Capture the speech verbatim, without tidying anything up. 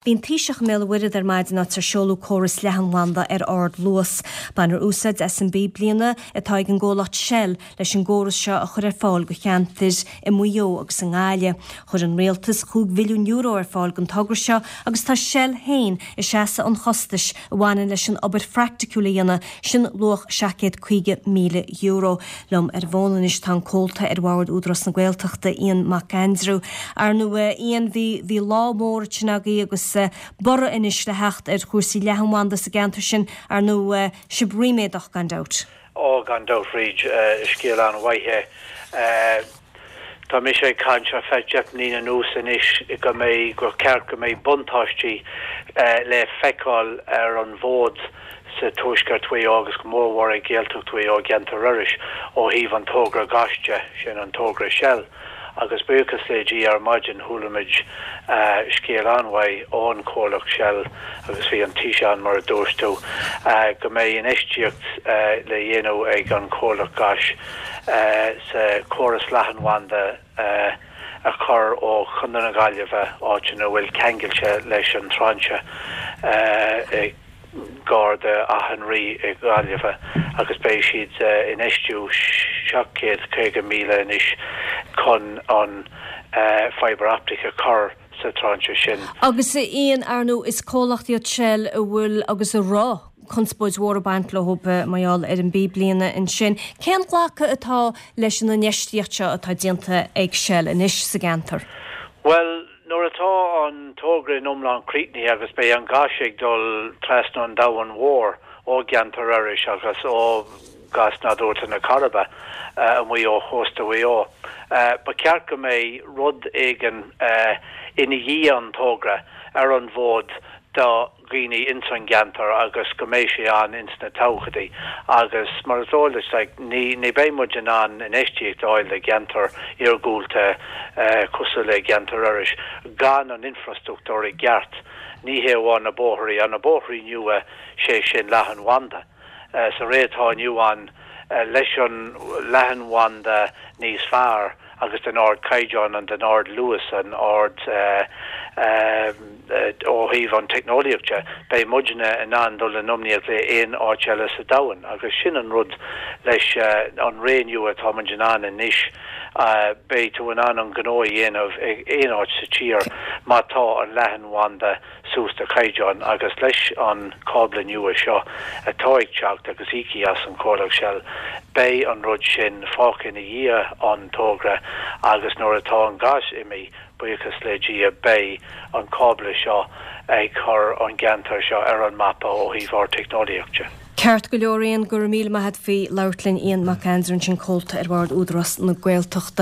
Bhí an Taoiseach i mBéal an Mhuirthead ar maidin áit ar seoladh córas leathanbhanda ar ardluas. Bainfear úsáid as an bpíblíne atá ag an gcomhlacht Shell leis an gcóras seo a chur ar fáil do cheantair i Maigh Eo agus i nGaillimh. Chuir an rialtas chúig mhilliún euro ar fáil don togra seo agus tá Shell féin ag seasamh an chostais a bhaineann leis an obair phraiticiúil a dhéanamh, sin luach seacht gcéad caoga míle euro. Liom ar an bhfón anois tá an comhalta ar bhord Údarás na Gaeltachta Ian Mac Aindriú. Ar ndóigh Ian bhí bhí lá mór ansin agaibh agus borradh anois le theacht ar chúrsaí leathanbhanda sa gceantar sin ar ndóigh sibh ríméadach gan dabht. Ó gan dabht Bríd scéal an-mhaith é. Tá mise ag caint ar feadh deich mbliana anuas anois go mbeidh gur ceart go mbeidh buntáistí le feiceáil ar an bhfód sa tuaisceart Mhaigh Eo agus go mórmhór i Gaeltacht Mhaigh Eo gceantar Iorrais ó thaobh an togra gáis de sin an togra Shell. agus buíochas le Dia ar maidin chuala muid scéal an-mhaith ón chomhlacht Shell agus bhí an Taoiseach mar a dúirt tú go mbeidh infheistíocht le dhéanamh ag an chomhlacht gáis sa chóras leathanbhanda a chur ó Chontae na Gaillimhe áit ina bhfuil ceangailte leis an tráinse gar d'Áth an Rí i Gaillimhe agus beidh siad infheistiú seacht céad caoga míle anois chun an fibre optic a chur sa tráinse sin. Agus Ian ar ndóigh is comhlacht iad Shell a bhfuil agus a raibh conspóid mhór ag baint leo mar gheall ar an bpíblíne ansin. Cén glacadh atá leis an infheistíocht seo atá déanta ag Shell anois sa gceantar? Well, nuair atá an togra in iomlán críochnaithe agus beidh an gás ag dul trasna an domhain mhór ó gceantar Iorrais agus ó gás nádúrtha na Coiribe amuigh ó chósta Mhaigh Eo. Ba cheart go mbeidh rud éigin ina dhiaidh an togra ar an bhfód do dhaoine ins an gceantar agus go mbeidh sé an ins na todhchaí agus mar is eol like, ní ní beidh muid in ann infheistíocht a fháil le gceantar iargúlta cosúil le gceantar Iorrais gan an infrastruchtúr i gceart ní hé amháin na bóithre an na bóithre nua sé sin leathanbhanda. Sa ré atá inniu ann leis an leathanbhanda níos fearr agus den ardchaighdeán an den ardluas an ard ó thaobh an teicneolaíochta, beidh muidne in ann dul in iomaíocht le aon áit eile sa domhan agus sin an rud leis an ré nua atá muid in ann anois beidh tú in ann an gnó a dhéanamh ag aon áit sa tír má tá an leathanbhanda suas de chaighdeán agus leis an cábla nua seo atá ag teacht agus íoctha as an chomhlacht Shell beidh an rud sin fágtha ina dhiaidh an togra agus nuair atá an gás imithe buíochas le Dia beidh an cábla seo ag chur an gceantar seo ar an mapa ó thaobh ár teicneolaíochta. Ceart go leor Ian go raibh míle maith agat faoi labhairt linn Ian Mac Aindriú sin comhalta ar bhord Údarás na Gaeltachta.